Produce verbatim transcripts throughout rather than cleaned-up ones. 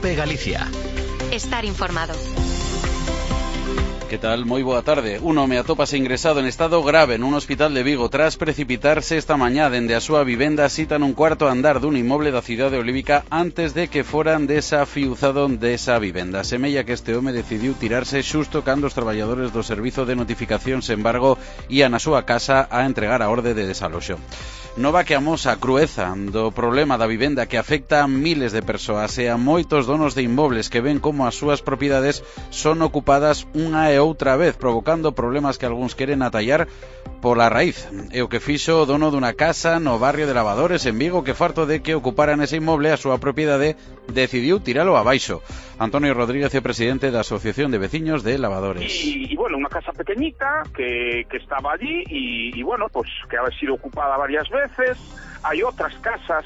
COPE Galicia. Estar informado. Que tal? Moi boa tarde. Un home atópase ingresado en estado grave nun hospital de Vigo tras precipitarse esta mañá dende a súa vivenda sita nun cuarto andar dun inmoble da cidade olívica antes de que foran desafiuzado desa vivenda. Semella que este home decidiu tirarse xusto cando os traballadores do Servizo de Notificación sen embargo ían á súa casa a entregar a orde de desaloxo. Nova que amosa a crueza do problema da vivenda que afecta a miles de persoas e a moitos donos de inmobles que ven como as súas propiedades son ocupadas unha e outra vez, provocando problemas que algúns queren atallar pola raíz. E o que fixo o dono dunha casa no barrio de Lavadores en Vigo, que farto de que ocuparan ese inmoble a súa propiedade, decidiu tiralo abaixo. Antonio Rodríguez é presidente da Asociación de Veciños de Lavadores. Y, y bueno, una casa pequeñita que, que estaba allí y, y bueno, pues que ha sido ocupada varias veces. Hay otras casas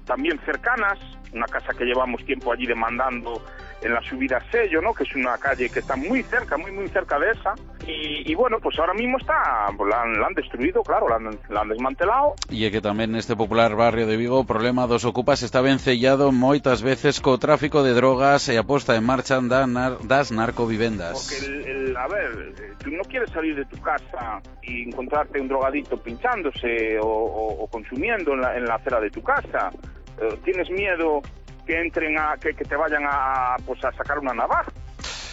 también cercanas, una casa que llevamos tiempo allí demandando en la subida Sello, ¿no? Que es una calle que está muy cerca, muy muy cerca de esa. Y, y bueno, pues ahora mismo está, pues la, han, la han destruido, claro, la han, la han desmantelado. E é que tamén neste popular barrio de Vigo o problema dos ocupas está vencellado moitas veces co tráfico de drogas e a posta en marcha da nar, das narcovivendas. Porque, el, el, a ver, tú no quieres salir de tu casa y encontrarte un drogadito pinchándose o, o, o consumiendo en la, en la acera de tu casa. Eh, tienes miedo que entren a que, que te vayan a pues a sacar unha navaja.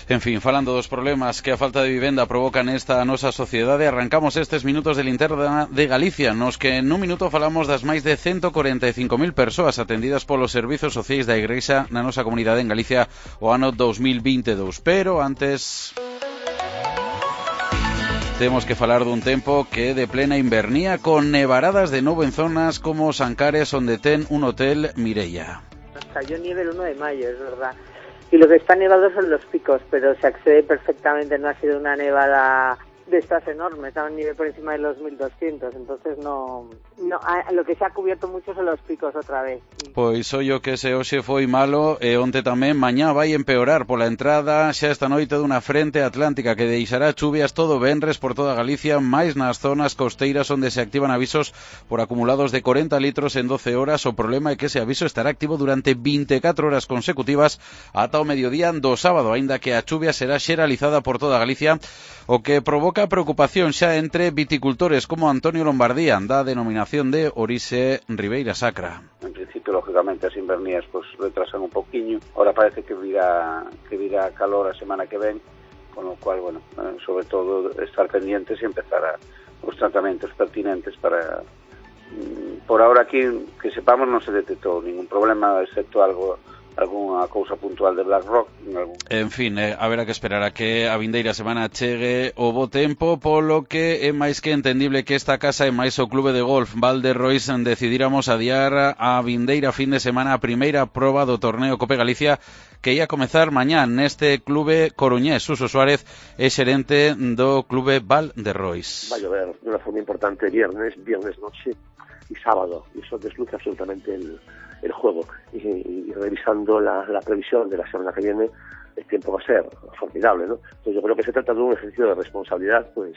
En fin, falando dos problemas que a falta de vivenda provoca nesta nosa sociedade, arrancamos estes minutos de linterna de Galicia, nos que nun minuto falamos das máis de ciento corenta e cinco mil persoas atendidas polos servizos sociais da Igrexa na nosa comunidade en Galicia o ano dos mil vinte e dous. Pero antes temos que falar dun tempo que é de plena invernía, con nevaradas de novo en zonas como Sancares, onde ten un hotel Mireia. Cayó nieve el uno de mayo, es verdad. Y lo que está nevado son los picos, pero se accede perfectamente, no ha sido una nevada de estas enormes, está un nivel por encima de los mil doscientos, entonces no, no a, lo que se ha cubierto mucho son los picos otra vez. Pois ollo que ese hoxe foi malo e onte tamén mañá vai empeorar pola entrada xa esta noite dunha frente atlántica que deixará chuvias todo venres por toda Galicia, máis nas zonas costeiras onde se activan avisos por acumulados de corenta litros en doce horas. O problema é que ese aviso estará activo durante vinte e catro horas consecutivas ata o mediodía do sábado, aínda que a chuvia será xeralizada por toda Galicia, o que provoca preocupación xa entre viticultores como Antonio Lombardía, da denominación de Orixe Ribeira Sacra. En principio, lógicamente, as invernías pues, retrasan un poquinho. Ahora parece que virá, que virá calor a semana que ven, con lo cual, bueno, eh, sobre todo estar pendientes e empezar a, os tratamentos pertinentes para... Mm, por ahora aquí, que sepamos, non se detectou ningún problema, excepto algo... algunha cousa puntual de BlackRock. Algún... En fin, eh, haberá que esperar a que a vindeira semana chegue o bo tempo, polo que é máis que entendible que esta casa e máis o clube de golf Valderrois decidíramos adiar a vindeira fin de semana a primeira proba do torneo Cope Galicia que ia comezar mañá neste clube coruñés. Suso Suárez é xerente do clube Valderrois. Va a llover de unha forma importante viernes, viernes noche y sábado, y eso desluce absolutamente el el juego y, y revisando la, la previsión de la semana que viene el tiempo va a ser formidable, ¿no? Entonces yo creo que se trata de un ejercicio de responsabilidad pues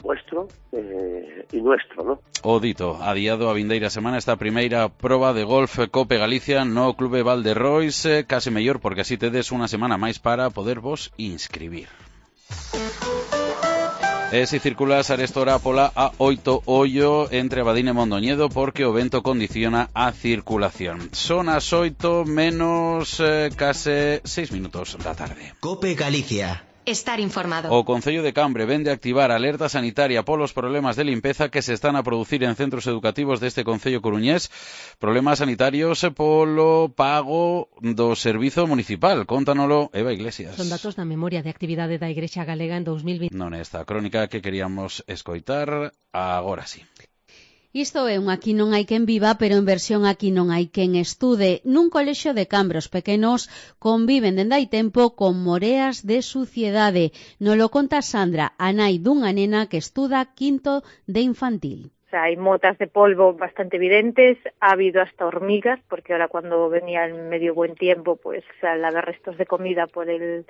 vuestro eh, y nuestro, ¿no? O dito, adiado a vindeira semana esta primeira proba de golf Cope Galicia no Clube Valderrois, eh, case mellor porque así tedes unha semana máis para poder vos inscribir. E se circulas arestora pola A oito ollo entre Abadín e Mondoñedo porque o vento condiciona a circulación. Son as oito menos eh, case seis minutos da tarde. COPE Galicia. Estar informado. O Concello de Cambre vende a activar alerta sanitaria polos problemas de limpeza que se están a producir en centros educativos deste Concello coruñés, problemas sanitarios polo pago do servizo municipal. Contanolo Eva Iglesias. Son datos da memoria de actividade da Igrexa Galega en dos mil vinte. Non esta crónica que queríamos escoitar agora sí. Isto é un Aquí non hai quen viva, pero en versión Aquí non hai quen estude. Nun colexio de Cambre os pequenos conviven dende hai tempo con moreas de suciedade. Nolo conta Sandra, a nai dunha nena que estuda quinto de infantil. O sea, hay motas de polvo bastante evidentes, ha habido hasta hormigas, porque ahora cuando venía el medio buen tiempo, pues al haber restos de comida por el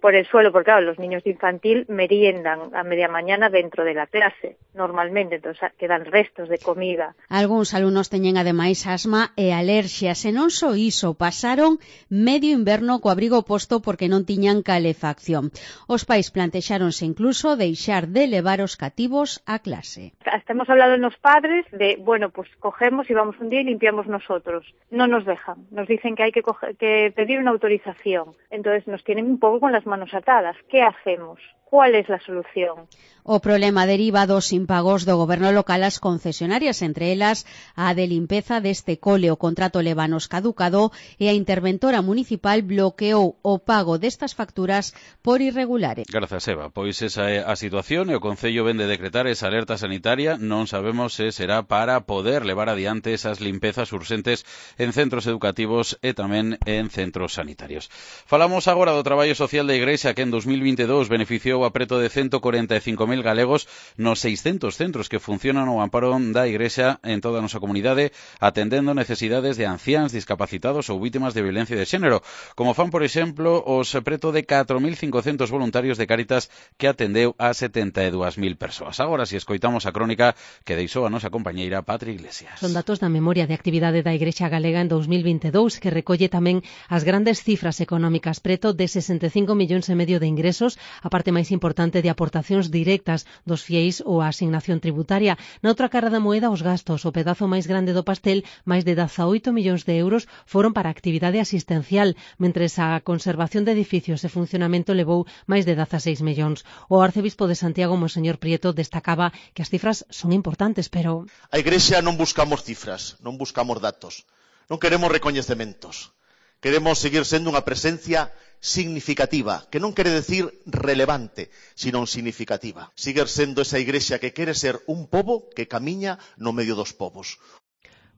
por el suelo, porque claro, los niños de infantil meriendan a media mañana dentro de la clase, normalmente, entonces quedan restos de comida. Algúns alumnos teñen ademais asma e alerxias, e non só iso, pasaron medio inverno co abrigo posto porque non tiñan calefacción. Os pais plantexáronse incluso deixar de levar os cativos a clase. Hasta hemos hablado en los padres de, bueno, pues cogemos y vamos un día y limpiamos nosotros. No nos dejan, nos dicen que hay que, coger, que pedir una autorización. Entonces nos tienen un poco con las manos atadas. ¿Qué hacemos? ¿Cuál es la solución? O problema deriva dos impagos do goberno local ás concesionarias, entre elas a de limpeza deste cole. O contrato levanos caducado e a interventora municipal bloqueou o pago destas facturas por irregulares. Grazas, Eva. Pois esa é a situación e o Concello vende decretar esa alerta sanitaria. Non sabemos se será para poder levar adiante esas limpezas urxentes en centros educativos e tamén en centros sanitarios. Falamos agora do traballo social da Igrexa, que en dos mil vinte e dous beneficiou a preto de ciento corenta e cinco mil galegos nos seiscentos centros que funcionan ao amparo da Igrexa en toda a nosa comunidade, atendendo necesidades de anciáns, discapacitados ou vítimas de violencia de xénero, como fan, por exemplo, os preto de catro mil cincocentos voluntarios de Cáritas que atendeu a setenta e dúas mil persoas. Agora, si escoitamos a crónica que deixou a nosa compañeira Patri Iglesias. Son datos da memoria de actividade da Igrexa Galega en dos mil vinte e dous, que recolle tamén as grandes cifras económicas, preto de sesenta e cinco millóns e medio de ingresos, a parte máis importante de aportacións directas dos fieis ou a asignación tributaria. Na outra cara da moeda, os gastos, o pedazo máis grande do pastel, máis de dezaoito millóns de euros, foron para a actividade asistencial, mentres a conservación de edificios e funcionamento levou máis de dezaseis millóns. O arcebispo de Santiago, Monseñor Prieto, destacaba que as cifras son importantes, pero... A Igrexa non buscamos cifras, non buscamos datos, non queremos recoñecementos. Queremos seguir sendo unha presencia significativa, que non quere decir relevante, sino significativa. Seguir sendo esa Igrexa que quere ser un pobo que camiña no medio dos povos.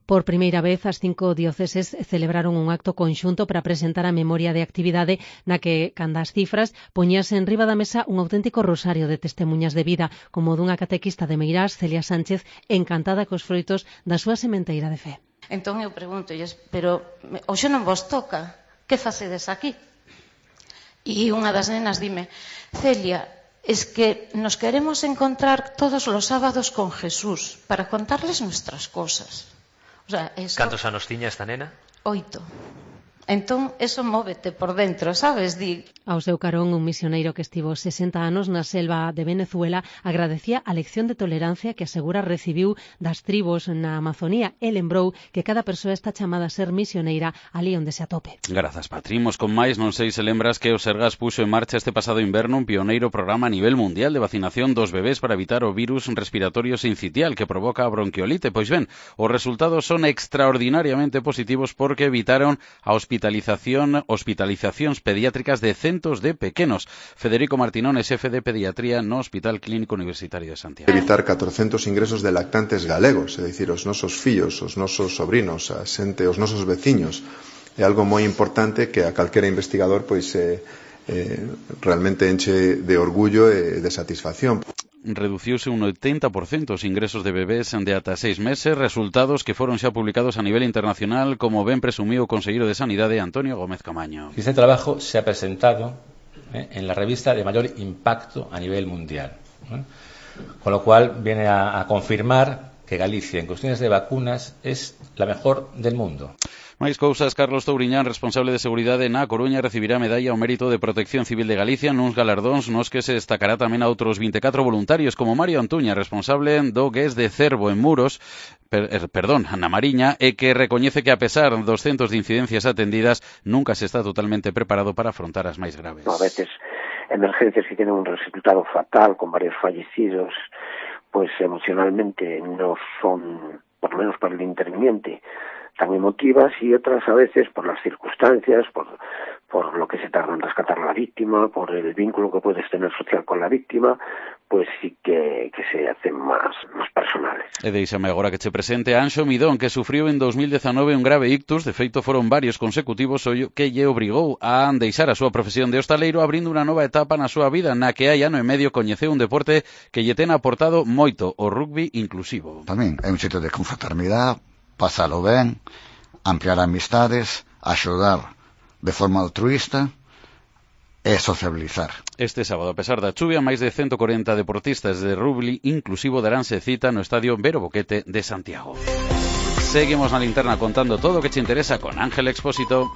Por primeira vez, as cinco dioceses celebraron un acto conxunto para presentar a memoria de actividade na que, canda as cifras, poñíase en riba da mesa un auténtico rosario de testemunhas de vida, como dunha catequista de Meirás, Celia Sánchez, encantada cos froitos da súa sementeira de fe. Entón eu pregunto, pero hoxe non vos toca, que facedes aquí? E unha das nenas dime, Celia, es que nos queremos encontrar todos los sábados con Jesús para contarles nuestras cosas. O sea, eso... Cantos anos tiña esta nena? Oito. Entón, eso móvete por dentro, sabes? Di... Ao seu carón, un misioneiro que estivo sesenta anos na selva de Venezuela agradecía a lección de tolerancia que asegura recibiu das tribos na Amazonía e lembrou que cada persoa está chamada a ser misioneira ali onde se atope. Grazas, Patrimos. Con máis, non sei se lembras que o Sergas puxo en marcha este pasado inverno un pioneiro programa a nivel mundial de vacinación dos bebés para evitar o virus respiratorio sincitial que provoca a bronquiolite. Pois ben, os resultados son extraordinariamente positivos porque evitaron a hospitalización, hospitalizacións pediátricas de centos de pequenos. Federico Martinón é xefe de pediatría no Hospital Clínico Universitario de Santiago. Evitar catrocentos ingresos de lactantes galegos, é dicir, os nosos fillos, os nosos sobrinos, a xente, os nosos veciños. É algo moi importante que a calquera investigador pois eh, eh, realmente enche de orgullo e de satisfacción. Reduciuse un oitenta por cento os ingresos de bebés de ata seis meses, resultados que foron xa publicados a nivel internacional, como ben presumiu o conselleiro de Sanidade Antonio Gómez Camaño. Este trabajo se ha presentado eh, en la revista de mayor impacto a nivel mundial, ¿eh? Con lo cual viene a, a confirmar que Galicia en cuestiones de vacunas es la mejor del mundo. Máis cousas, Carlos Touriñán, responsable de seguridade na Coruña, recibirá a medalla ao mérito de Protección Civil de Galicia nuns galardóns nos que se destacará tamén a outros vinte e catro voluntarios, como Mario Antuña, responsable do G E S de Cervo en Muros, per, er, perdón, na Mariña, e que recoñece que a pesar dos centos de incidencias atendidas, nunca se está totalmente preparado para afrontar as máis graves. A veces, emergencias que tienen un resultado fatal, con varios fallecidos, pues emocionalmente no son, por lo menos para el interviniente, tan emotivas, y otras a veces por las circunstancias, por, por lo que se tarda en rescatar a la víctima, por el vínculo que puedes tener social con la víctima, pues sí que, que se hacen más, más personales. E deixame agora que che presente a Anxo Midón, que sufriu en dos mil dezanove un grave ictus. De feito, foron varios consecutivos o que lle obrigou a deixar a súa profesión de hostaleiro, abrindo unha nova etapa na súa vida, na que hai ano e medio coñeceu un deporte que lle ten aportado moito, o rugby inclusivo. Tamén é un xeito de confraternidade, pasalo ben, ampliar amistades, axudar de forma altruista e sociabilizar. Este sábado, a pesar da chuvia, máis de ciento cuarenta deportistas de rugby inclusivo daránse cita no estadio Vero Boquete de Santiago. Seguimos na linterna contando todo o que te interesa con Ángel Expósito.